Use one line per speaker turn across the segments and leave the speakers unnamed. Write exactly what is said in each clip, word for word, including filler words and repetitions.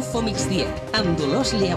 Info Migdia, amb Dolors Lleu.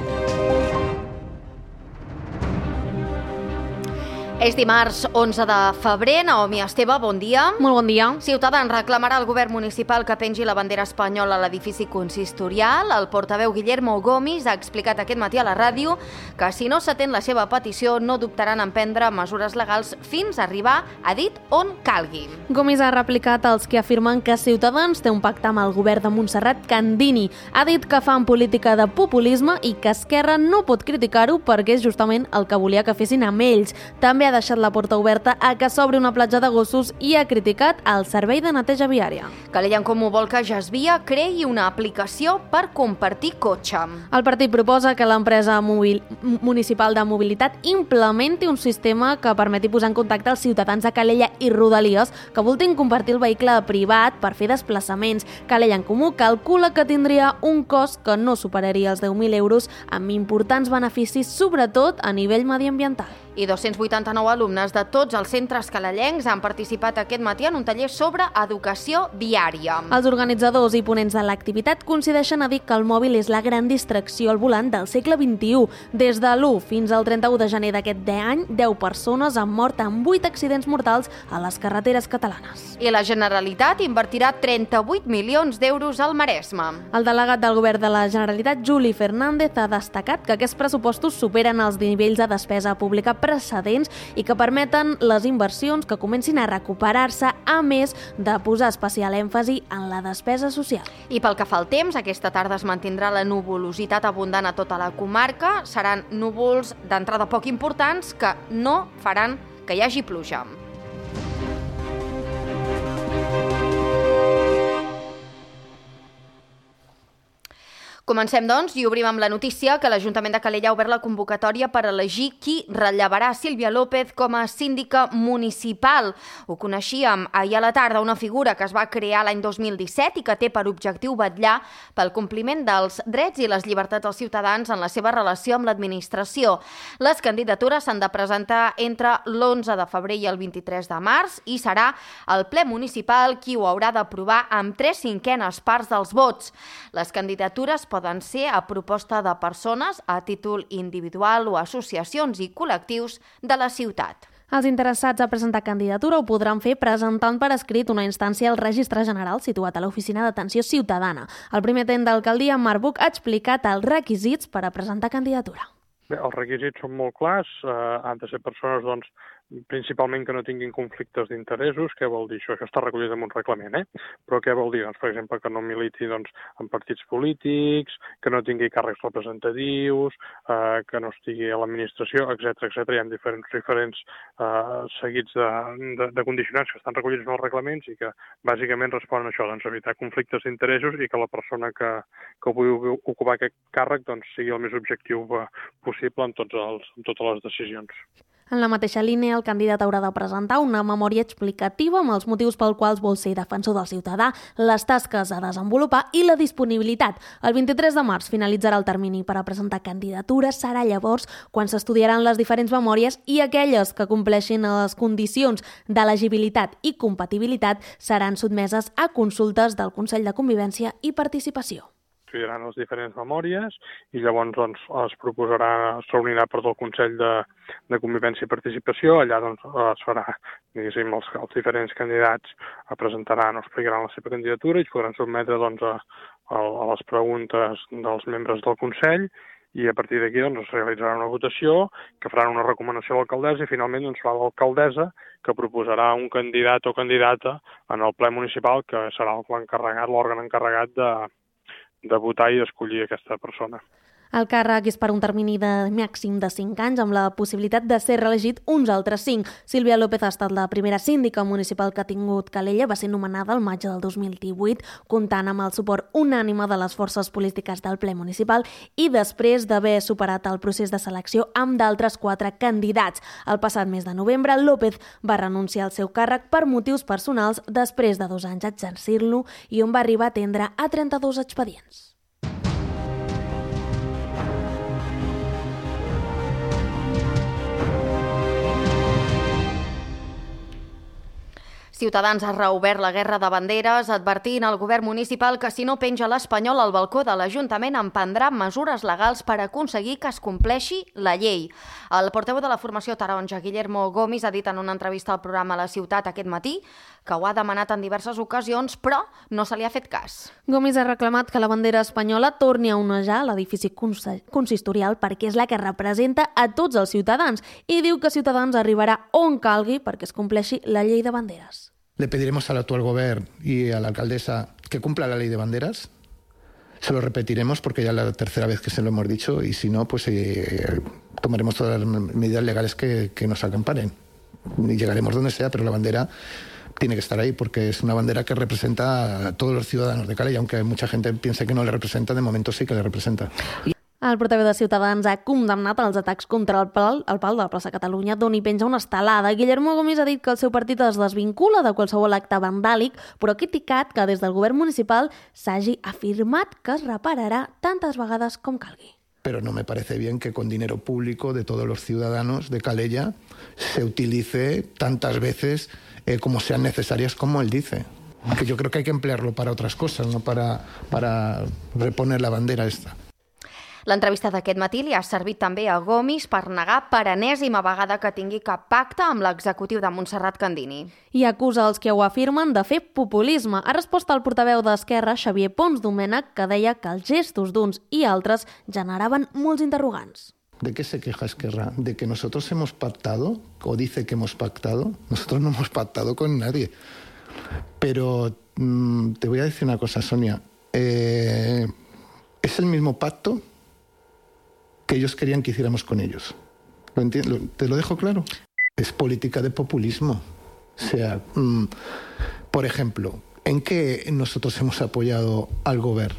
És dimarts onze de febrer. Naomi Esteve, bon dia.
Molt bon dia.
Ciutadans reclamarà al govern municipal que pengi la bandera espanyola a l'edifici consistorial. El portaveu Guillermo Gomis ha explicat aquest matí a la ràdio que si no s'atén la seva petició no dubtaran en prendre mesures legals fins a arribar, ha dit, on calgui.
Gomis ha replicat als que afirmen que Ciutadans té un pacte amb el govern de Montserrat Candini. Ha dit que fan política de populisme i que Esquerra no pot criticar-ho perquè és justament el que volia que fessin amb ells. També ha deixat la porta oberta a que s'obri una platja de gossos i ha criticat el servei de neteja viària.
Calella en Comú vol que Jasvia creï una aplicació per compartir cotxe.
El partit proposa que l'empresa mobil... municipal de mobilitat implementi un sistema que permeti posar en contacte els ciutadans de Calella i Rodalies que voltin compartir el vehicle privat per fer desplaçaments. Calella en Comú calcula que tindria un cost que no superaria els deu mil euros amb importants beneficis, sobretot a nivell mediambiental.
I dos-cents vuitanta-nou alumnes de tots els centres calellencs han participat aquest matí en un taller sobre educació viària.
Els organitzadors i ponents de l'activitat coincideixen a dir que el mòbil és la gran distracció al volant del segle vint-i-u. Des de l'u fins al trenta-u de gener d'aquest any, deu persones han mort en vuit accidents mortals a les carreteres catalanes.
I la Generalitat invertirà trenta-vuit milions d'euros al Maresme.
El delegat del govern de la Generalitat, Juli Fernández, ha destacat que aquests pressupostos superen els nivells de despesa pública precedents i que permeten les inversions que comencin a recuperar-se, a més de posar especial èmfasi en la despesa social.
I pel que fa al temps, aquesta tarda es mantindrà la nuvolositat abundant a tota la comarca. Seran núvols d'entrada poc importants que no faran que hi hagi pluja. Comencem, doncs, i obrim amb la notícia que l'Ajuntament de Calella ha obert la convocatòria per elegir qui rellevarà Sílvia López com a síndica municipal. Ho coneixíem ahir a la tarda, una figura que es va crear l'any dos mil disset i que té per objectiu vetllar pel compliment dels drets i les llibertats dels ciutadans en la seva relació amb l'administració. Les candidatures s'han de presentar entre l'onze de febrer i el vint-i-tres de març i serà el ple municipal qui ho haurà d'aprovar amb tres cinquenes parts dels vots. Les candidatures poden ser a proposta de persones, a títol individual o associacions i col·lectius de la ciutat.
Els interessats a presentar candidatura ho podran fer presentant per escrit una instància al Registre General situat a l'Oficina d'Atenció Ciutadana. El primer tenent d'alcaldia, Marc Buch, ha explicat els requisits per a presentar candidatura.
Bé, els requisits són molt clars, eh, han de ser persones, doncs, principalment que no tinguin conflictes d'interessos. Què vol dir això? Això està recollit en un reglament, eh? Però què vol dir? Doncs, per exemple, que no militi doncs, en partits polítics, que no tingui càrrecs representatius, eh, que no estigui a l'administració, etcètera, etcètera. Hi ha diferents, diferents eh, seguits de, de, de condicionants que estan recollits en els reglaments i que bàsicament responen a això, doncs, evitar conflictes d'interessos i que la persona que, que pugui ocupar aquest càrrec doncs, sigui el més objectiu possible en, tots els, en totes les decisions.
En la mateixa línia, el candidat haurà de presentar una memòria explicativa amb els motius pel quals vol ser defensor del ciutadà, les tasques a desenvolupar i la disponibilitat. El vint-i-tres de març finalitzarà el termini per a presentar candidatures. Serà llavors quan s'estudiaran les diferents memòries i aquelles que compleixin les condicions d'elegibilitat i compatibilitat seran sotmeses a consultes del Consell de Convivència i Participació.
Estudiaran les diferents memòries i llavors doncs, es proposarà, es reunirà per tot el Consell de, de Convivència i Participació. Allà doncs, es farà, diguéssim, els, els diferents candidats presentaran o explicaran la seva candidatura i es podran sotmetre doncs, a, a, a les preguntes dels membres del Consell i a partir d'aquí doncs, es realitzarà una votació que faran una recomanació a l'alcaldessa i finalment doncs, serà l'alcaldessa que proposarà un candidat o candidata en el ple municipal que serà l'encarregat, l'òrgan encarregat de de votar i d'escollir aquesta persona.
El càrrec és per un termini de màxim de cinc anys, amb la possibilitat de ser reelegit uns altres cinc. Sílvia López ha estat la primera síndica municipal que ha tingut Calella, va ser nomenada el maig del dos mil divuit, comptant amb el suport unànime de les forces polítiques del ple municipal i després d'haver superat el procés de selecció amb d'altres quatre candidats. El passat mes de novembre, López va renunciar al seu càrrec per motius personals després de dos anys exercir-lo i on va arribar a atendre a trenta-dos expedients.
Ciutadans ha reobert la guerra de banderes, advertint al govern municipal que si no penja l'Espanyol al balcó de l'Ajuntament emprendrà mesures legals per aconseguir que es compleixi la llei. El portaveu de la formació taronja, Guillermo Gomis, ha dit en una entrevista al programa La Ciutat aquest matí que ho ha demanat en diverses ocasions, però no se li ha fet cas.
Gomis ha reclamat que la bandera espanyola torni a onejar l'edifici consistorial perquè és la que representa a tots els ciutadans i diu que Ciutadans arribarà on calgui perquè es compleixi la llei de banderes.
Le pediremos al actual gobierno y a la alcaldesa que cumpla la ley de banderas. Se lo repetiremos porque ya es la tercera vez que se lo hemos dicho y si no, pues eh, tomaremos todas las medidas legales que, que nos acamparen. Y llegaremos donde sea, pero la bandera tiene que estar ahí porque es una bandera que representa a todos los ciudadanos de Calella, aunque mucha gente piense que no le representa, de momento sí que le representa.
El portaveu de Ciutadans ha condemnat els atacs contra el pal, el pal de la plaça Catalunya, d'on hi penja una estelada. Guillermo Gomis ha dit que el seu partit es desvincula de qualsevol acte vandàlic, però ha criticat que des del govern municipal s'hagi afirmat que es repararà tantes vegades com calgui.
Pero no me parece bien que con dinero público de todos los ciudadanos de Calella se utilice tantas veces eh, como sean necesarias como él dice. Que yo creo que hay que emplearlo para otras cosas, no para, para reponer la bandera esta.
L'entrevista d'aquest matí li ha servit també a Gomis per negar per enèsima vegada que tingui cap pacte amb l'executiu de Montserrat Candini.
I acusa els que ho afirmen de fer populisme. Ha respost al portaveu d'Esquerra, Xavier Pons Domènech, que deia que els gestos d'uns i altres generaven molts interrogants.
¿De qué se queja Esquerra? ¿De que nosotros hemos pactado? ¿O dice que hemos pactado? Nosotros no hemos pactado con nadie. Pero mmm, te voy a decir una cosa, Sonia. Eh, es el mismo pacto que ellos querían que hiciéramos con ellos. ¿Lo entiendo? ¿Te lo dejo claro? Es política de populismo. O sea, mmm, por ejemplo, ¿en qué nosotros hemos apoyado al govern?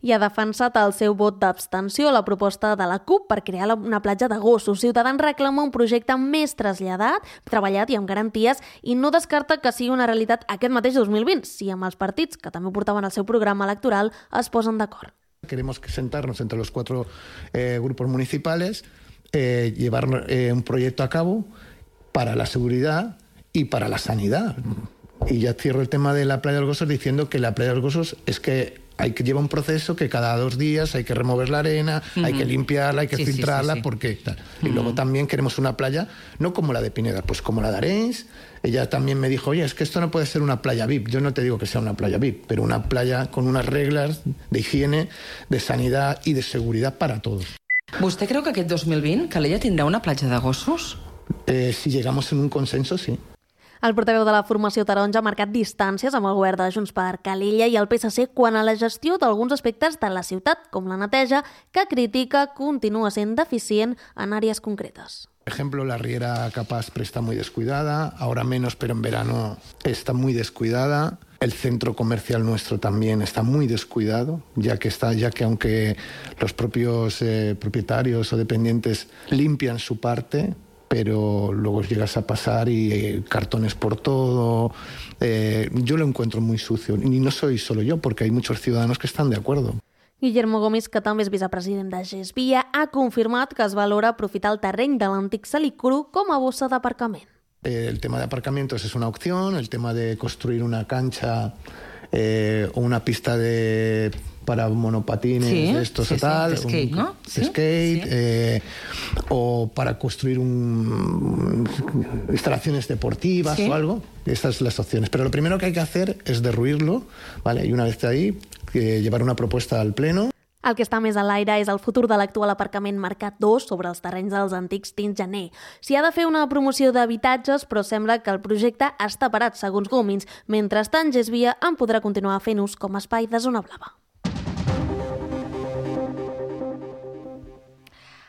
I ha defensat el seu vot d'abstenció a la proposta de la CUP per crear una platja de gossos. Ciutadans reclama un projecte més traslladat, treballat i amb garanties, i no descarta que sigui una realitat aquest mateix dos mil vint, si amb els partits, que també portaven el seu programa electoral, es posen d'acord.
Queremos sentarnos entre los cuatro eh, grupos municipales, eh, llevar eh, un proyecto a cabo para la seguridad y para la sanidad. Y ya cierro el tema de la playa de los Gosos diciendo que la playa de los Gosos es que hay que llevar un proceso que cada dos días hay que remover la arena, uh-huh. hay que limpiarla, hay que sí, filtrarla, sí, sí, sí. porque tal. Y uh-huh. luego también queremos una playa, no como la de Pineda, pues como la de Arenys. Ella también me dijo, oye, es que esto no puede ser una playa V I P. Yo no te digo que sea una playa V I P, pero una playa con unas reglas de higiene, de sanidad y de seguridad para todos.
¿Vostè creu que aquest dos mil vint Calella tindrà una platja de gossos?
Eh, si llegamos en un consenso, sí.
El portaveu de la formació taronja ha marcat distàncies amb el govern de Junts per Calella i el P S C quant a la gestió d'alguns aspectes de la ciutat, com la neteja, que critica continua sent deficient en àrees concretes.
Por ejemplo, la Riera Capastre está muy descuidada, ahora menos, pero en verano está muy descuidada. El centro comercial nuestro también está muy descuidado, ya que, está, ya que aunque los propios eh, propietarios o dependientes limpian su parte, pero luego llegas a pasar y eh, cartones por todo. Eh, yo lo encuentro muy sucio. Y no soy solo yo, porque hay muchos ciudadanos que están de acuerdo.
Guillermo Gomis, que també és vicepresident de Gesvia, ha confirmat que es valora aprofitar el terreny de l'antic Salicru com a bossa d'aparcament.
Eh, el tema de aparcamientos es una opción, el tema de construir una cancha eh, o una pista de... para monopatines,
sí,
de estos
sí,
o tal,
sí, de skate,
un,
¿no?
De
sí,
skate,
sí.
Eh, o para construir un, instalaciones deportivas sí. o algo. Estas son las opciones. Pero lo primero que hay que hacer es derruirlo, ¿vale? Y una vez ahí, eh, llevar una propuesta al Pleno.
El que està més a l'aire és el futur de l'actual aparcament Mercat dos sobre els terrenys dels antics Tins Gener. S'hi ha de fer una promoció d'habitatges, però sembla que el projecte està parat, segons Gomis. Mentrestant, Gesvia en podrà continuar fent ús com a espai de zona blava.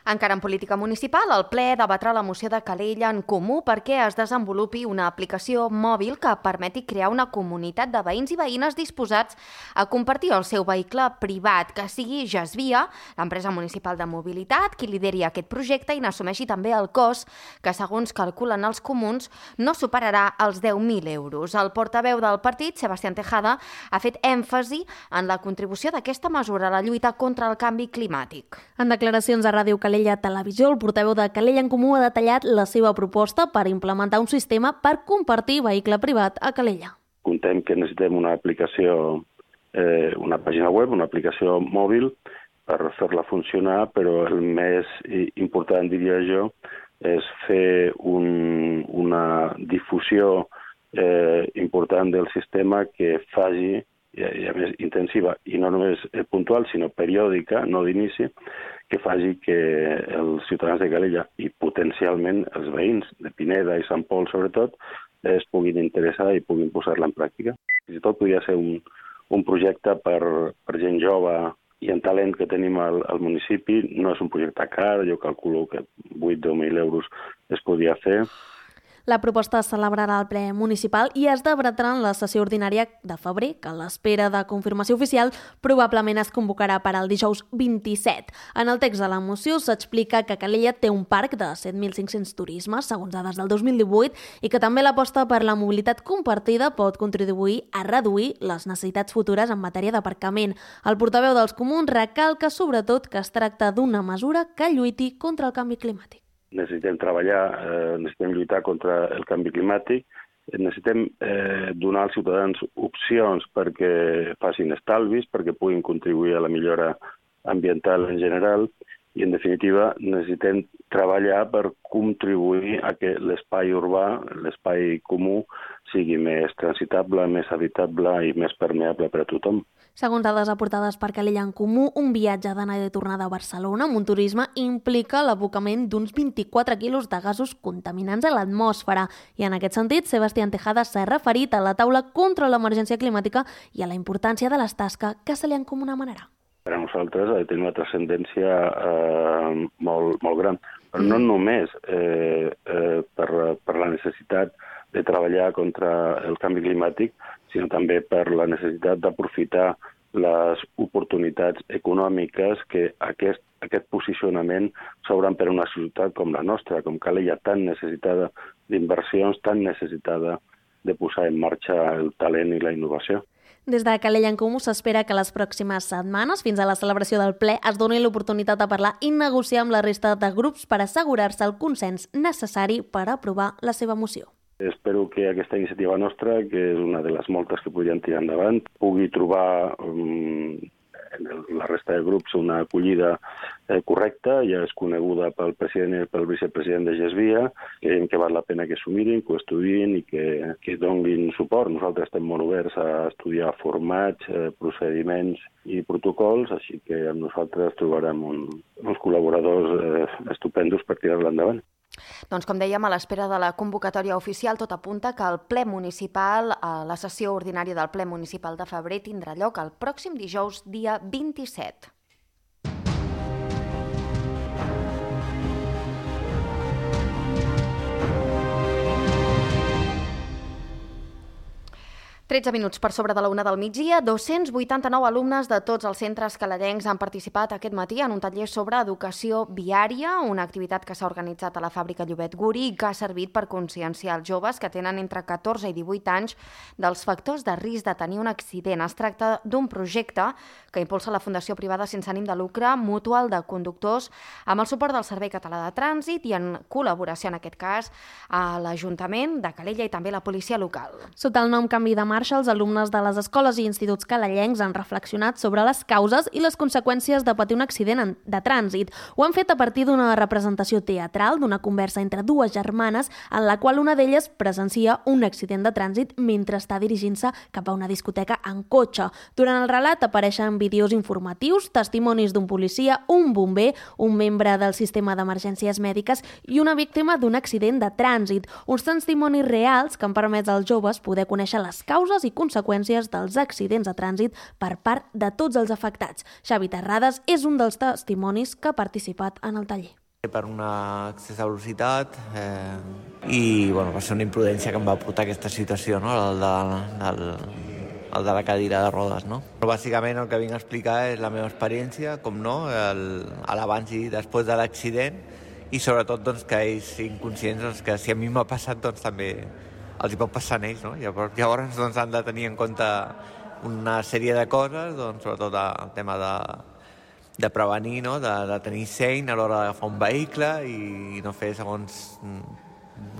Encara en política municipal, el ple debatrà la moció de Calella en Comú perquè es desenvolupi una aplicació mòbil que permeti crear una comunitat de veïns i veïnes disposats a compartir el seu vehicle privat, que sigui Gesvia, l'empresa municipal de mobilitat, qui lideri aquest projecte i n'assumeixi també el cost, que segons calculen els comuns no superarà els deu mil euros. El portaveu del partit, Sebastián Tejada, ha fet èmfasi en la contribució d'aquesta mesura a la lluita contra el canvi climàtic.
En declaracions a Ràdio Calella, Calella Televisió, el portaveu de Calella en Comú ha detallat la seva proposta per implementar un sistema per compartir vehicle privat a Calella.
Contem que necessitem una aplicació, eh, una pàgina web, una aplicació mòbil per fer-la funcionar, però el més important, diria jo, és fer un, una difusió eh, important del sistema que faci, i a més intensiva, i no només puntual, sinó periòdica, no d'inici, que faci que els ciutadans de Calella i potencialment els veïns de Pineda i Sant Pol, sobretot, es puguin interessar i puguin posar-la en pràctica. Fins i tot podria ser un, un projecte per, per gent jove i en talent que tenim al, al municipi. No és un projecte car, jo calculo que vuit o deu mil euros es podria fer.
La proposta es celebrarà al ple municipal i es debatrà en la sessió ordinària de febrer, que a l'espera de confirmació oficial probablement es convocarà per al dijous vint-i-set. En el text de la moció s'explica que Calella té un parc de set mil cinc-cents turismes, segons dades del dos mil divuit, i que també l'aposta per la mobilitat compartida pot contribuir a reduir les necessitats futures en matèria d'aparcament. El portaveu dels Comuns recalca sobretot que es tracta d'una mesura que lluiti contra el canvi climàtic.
Necessitem treballar, eh, necessitem lluitar contra el canvi climàtic, necessitem eh, donar als ciutadans opcions perquè facin estalvis, perquè puguin contribuir a la millora ambiental en general i, en definitiva, necessitem treballar per contribuir a que l'espai urbà, l'espai comú, sigui més transitable, més habitable i més permeable per a tothom.
Segons dades aportades per Calella en Comú, un viatge d'anada i tornada a Barcelona amb un turisme implica l'abocament d'uns vint-i-quatre quilos de gasos contaminants a l'atmosfera. I en aquest sentit, Sebastián Tejada s'ha referit a la taula contra l'emergència climàtica i a la importància de les tasques que se li encomanarà.
Per a nosaltres ha de tenir una transcendència eh, molt, molt gran, però no només eh, eh, per, per la necessitat de treballar contra el canvi climàtic, sinó també per la necessitat d'aprofitar les oportunitats econòmiques que aquest, aquest posicionament s'obren per a una ciutat com la nostra, com Calella, tan necessitada d'inversions, tan necessitada de posar en marxa el talent i la innovació.
Des de Calella en Comú s'espera que les pròximes setmanes, fins a la celebració del ple, es doni l'oportunitat de parlar i negociar amb la resta de grups per assegurar-se el consens necessari per aprovar la seva moció.
Espero que aquesta iniciativa nostra, que és una de les moltes que podrien tirar endavant, pugui trobar um, en la resta de grups una acollida eh, correcta. Ja és coneguda pel president i pel vicepresident de Gesvia. Creiem que val la pena que s'ho mirin, que ho estudiïn i que, que donin suport. Nosaltres estem molt oberts a estudiar formats, eh, procediments i protocols, així que amb nosaltres trobarem un, uns col·laboradors eh, estupendos per tirar-la endavant.
Doncs, com dèiem, a l'espera de la convocatòria oficial, tot apunta que el ple municipal, la sessió ordinària del ple municipal de febrer, tindrà lloc el pròxim dijous, dia vint-i-set. tretze minuts per sobre de la una del migdia, dos-cents vuitanta-nou alumnes de tots els centres calellencs han participat aquest matí en un taller sobre educació viària, una activitat que s'ha organitzat a la fàbrica Llobet Guri i que ha servit per conscienciar els joves que tenen entre catorze i divuit anys dels factors de risc de tenir un accident. Es tracta d'un projecte que impulsa la Fundació Privada sense ànim de lucre Mutual de Conductors amb el suport del Servei Català de Trànsit i en col·laboració, en aquest cas, a l'Ajuntament de Calella i també la policia local.
Sota el nom Canvi de Marxa, els alumnes de les escoles i instituts calellencs han reflexionat sobre les causes i les conseqüències de patir un accident de trànsit. Ho han fet a partir d'una representació teatral, d'una conversa entre dues germanes, en la qual una d'elles presencia un accident de trànsit mentre està dirigint-se cap a una discoteca en cotxe. Durant el relat apareixen vídeos informatius, testimonis d'un policia, un bomber, un membre del sistema d'emergències mèdiques i una víctima d'un accident de trànsit. Uns testimonis reals que han permès als joves poder conèixer les causes i conseqüències dels accidents de trànsit per part de tots els afectats. Xavi Terrades és un dels testimonis que ha participat en el taller.
Per una excés de velocitat eh, i bueno, va ser una imprudència que em va portar a aquesta situació, no? el, de, el, el de la cadira de rodes. No? Però bàsicament el que vinc a explicar és la meva experiència, com no, l'abans i després de l'accident i sobretot doncs, que ells siguin conscients doncs, que si a mi m'ha passat doncs, també els hi pot passar a ells, no? Llavors, llavors doncs, han de tenir en compte una sèrie de coses, doncs, sobretot el tema de, de prevenir, no? de, de tenir seny a l'hora d'agafar un vehicle i no fer segons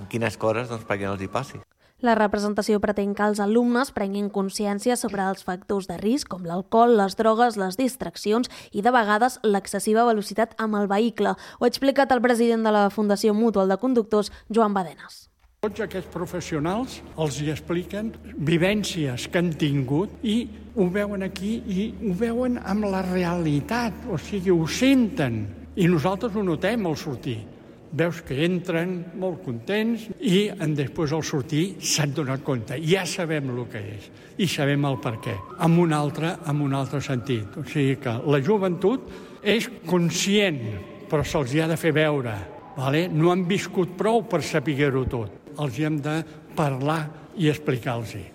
quines coses doncs, perquè no els hi passi.
La representació pretén que els alumnes prenguin consciència sobre els factors de risc, com l'alcohol, les drogues, les distraccions i, de vegades, l'excessiva velocitat amb el vehicle. Ho ha explicat el president de la Fundació Mutual de Conductors, Joan Badenes.
Tots aquests professionals els hi expliquen vivències que han tingut i ho veuen aquí i ho veuen amb la realitat, o sigui, ho senten. I nosaltres ho notem al sortir. Veus que entren molt contents i després al sortir s'han donat compte. Ja sabem el que és i sabem el per què, amb un altre, amb un altre sentit. O sigui que la joventut és conscient, però se'ls ha de fer veure. Vale? No han viscut prou per saber-ho tot. Els hi hem de parlar i explicar-los-hi.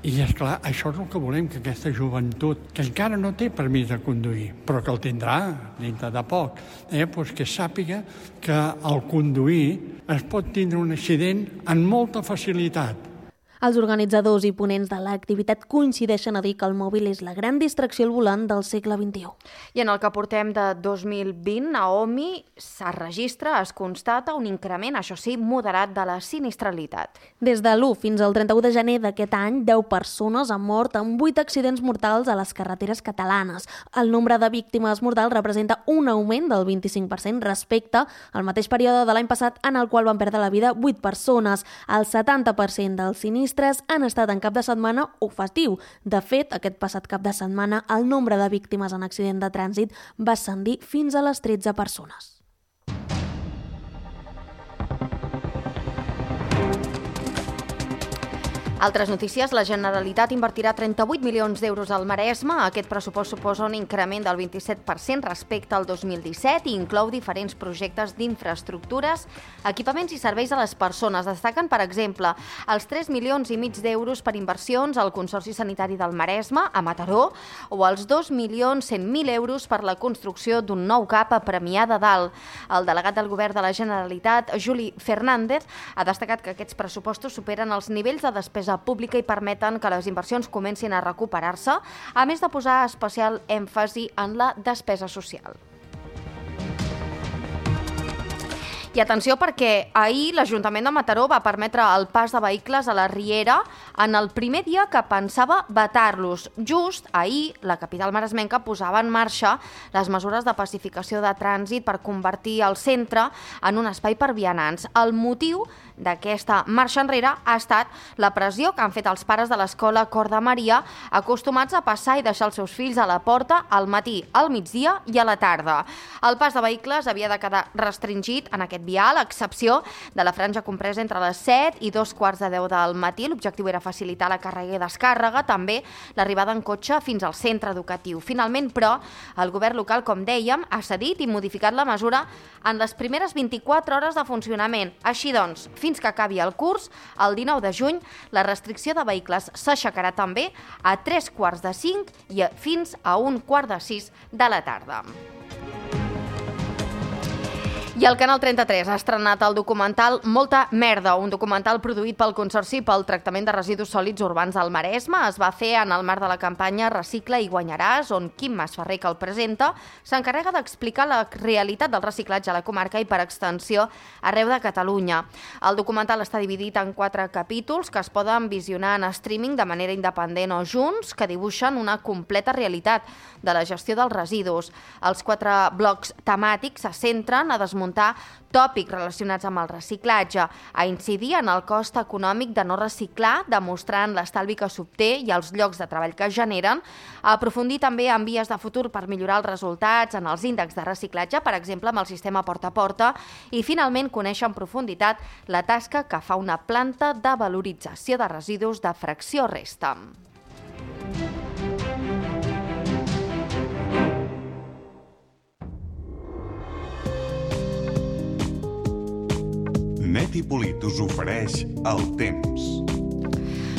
I, esclar, això és el que volem, que aquesta joventut, que encara no té permís de conduir, però que el tindrà dintre de poc, eh, doncs que sàpiga que al conduir es pot tindre un accident amb molta facilitat.
Els organitzadors i ponents de l'activitat coincideixen a dir que el mòbil és la gran distracció al volant del segle vint-i-u.
I en el que portem de dos mil vint, a O M I es registra, es constata un increment, això sí, moderat de la sinistralitat.
Des de l'u fins al trenta-u de gener d'aquest any, deu persones han mort en vuit accidents mortals a les carreteres catalanes. El nombre de víctimes mortals representa un augment del vint-i-cinc per cent respecte al mateix període de l'any passat, en el qual van perdre la vida vuit persones. El setanta per cent dels sinistres han estat en cap de setmana o festiu. De fet, aquest passat cap de setmana, el nombre de víctimes en accident de trànsit va ascendir fins a les tretze persones.
Altres notícies, la Generalitat invertirà trenta-vuit milions d'euros al Maresme. Aquest pressupost suposa un increment del vint-i-set per cent respecte al dos mil disset i inclou diferents projectes d'infraestructures, equipaments i serveis a les persones. Destaquen, per exemple, els tres milions i mig d'euros per inversions al Consorci Sanitari del Maresme, a Mataró, o els dos milions cent mil euros per la construcció d'un nou CAP a Premià de Dalt. El delegat del Govern de la Generalitat, Juli Fernández, ha destacat que aquests pressupostos superen els nivells de despesa pública i permeten que les inversions comencin a recuperar-se, a més de posar especial èmfasi en la despesa social. I atenció perquè ahir l'Ajuntament de Mataró va permetre el pas de vehicles a la Riera en el primer dia que pensava vetar-los. Just ahir, la capital maresmenca posava en marxa les mesures de pacificació de trànsit per convertir el centre en un espai per vianants. El motiu d'aquesta marxa enrere ha estat la pressió que han fet els pares de l'escola Cor de Maria, acostumats a passar i deixar els seus fills a la porta al matí, al migdia i a la tarda. El pas de vehicles havia de quedar restringit en aquest vial, a excepció de la franja compresa entre les set i dos quarts de deu del matí. L'objectiu era facilitar la càrrega i descàrrega, també l'arribada en cotxe fins al centre educatiu. Finalment, però, el govern local, com dèiem, ha cedit i modificat la mesura en les primeres vint-i-quatre hores de funcionament. Així doncs, fins que acabi el curs, el dinou de juny, la restricció de vehicles s'aixecarà també a tres quarts de cinc i fins a un quart de sis de la tarda. I el Canal trenta-tres ha estrenat el documental Molta merda, un documental produït pel Consorci pel Tractament de Residus Sòlids Urbans al Maresme. Es va fer en el marc de la campanya Recicla i guanyaràs, on Quim Masferrer, que el presenta, s'encarrega d'explicar la realitat del reciclatge a la comarca i, per extensió, arreu de Catalunya. El documental està dividit en quatre capítols que es poden visionar en streaming de manera independent o junts, que dibuixen una completa realitat de la gestió dels residus. Els quatre blocs temàtics se centren a desmuntar tòpics relacionats amb el reciclatge, a incidir en el cost econòmic de no reciclar, demostrant l'estalvi que s'obté i els llocs de treball que es generen, a aprofundir també en vies de futur per millorar els resultats en els índexs de reciclatge, per exemple amb el sistema porta a porta, i finalment conèixer en profunditat la tasca que fa una planta de valorització de residus de fracció resta.
Net i Polit us ofereix el temps.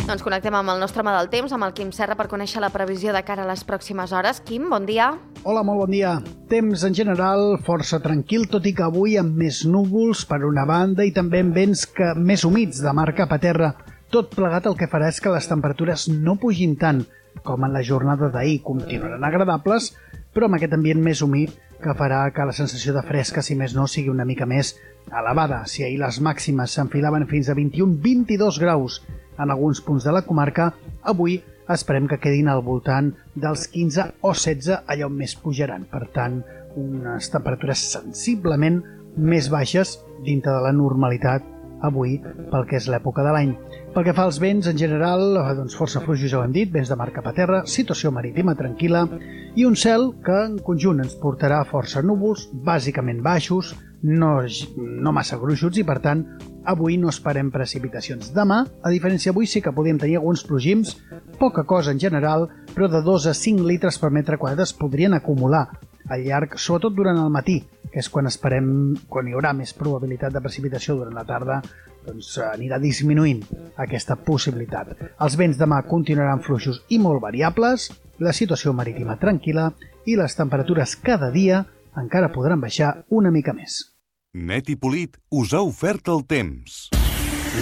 Doncs connectem amb el nostre home del temps, amb el Quim Serra, per conèixer la previsió de cara a les pròximes hores. Quim, bon dia.
Hola, molt bon dia. Temps en general força tranquil, tot i que avui amb més núvols per una banda i també amb vents que més humits de mar cap a terra. Tot plegat el que farà és que les temperatures no pugin tant com en la jornada d'ahir. Continuaran agradables, però amb aquest ambient més humit que farà que la sensació de fresca, si més no, sigui una mica més elevada. Si ahir les màximes s'enfilaven fins a vint i un a vint-i-dos graus en alguns punts de la comarca, avui esperem que quedin al voltant dels quinze o setze, allà on més pujaran. Per tant, unes temperatures sensiblement més baixes dintre de la normalitat avui pel que és l'època de l'any. Pel que fa als vents, en general, doncs força fluixos, ja ho hem dit, vents de mar cap a terra, situació marítima tranquil·la i un cel que en conjunt ens portarà força núvols, bàsicament baixos, no, no massa gruixuts i, per tant, avui no esperem precipitacions. Demà, a diferència d'avui, sí que podríem tenir alguns plogims, poca cosa en general, però de dos a cinc litres per metre quadrat es podrien acumular al llarg, sobretot durant el matí, que és quan esperem, quan hi haurà més probabilitat de precipitació durant la tarda, doncs anirà disminuint aquesta possibilitat. Els vents demà continuaran fluixos i molt variables, la situació marítima tranquil·la i les temperatures cada dia encara podran baixar una mica més.
Net i Polit us ha ofert el temps.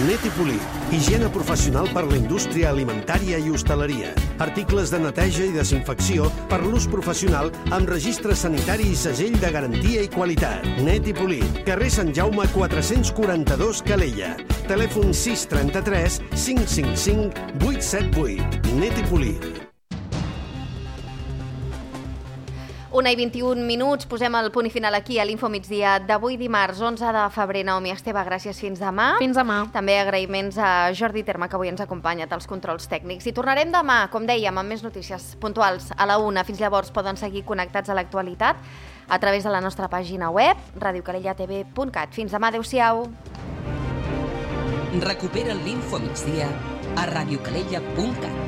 Net i Polit, higiene professional per la indústria alimentària i hostaleria. Articles de neteja i desinfecció per l'ús professional amb registre sanitari i segell de garantia i qualitat. Net i Polit, carrer Sant Jaume quatre-cents quaranta-dos, Calella. Telèfon sis trenta-tres cinc cinc cinc vuit set vuit. Net i Polit.
Una i vint-i-un minuts, posem el punt i final aquí a l'Info Migdia d'avui dimarts, onze de febrer. Naomi Esteve, gràcies, fins demà.
Fins demà.
També agraïments a Jordi Terma, que avui ens ha acompanyat als controls tècnics. I tornarem demà, com dèiem, amb més notícies puntuals a la una. Fins llavors poden seguir connectats a l'actualitat a través de la nostra pàgina web, radio calella t v punt cat. Fins demà, adeu-siau.
Recupera l'Info Migdia a radio calella punt cat.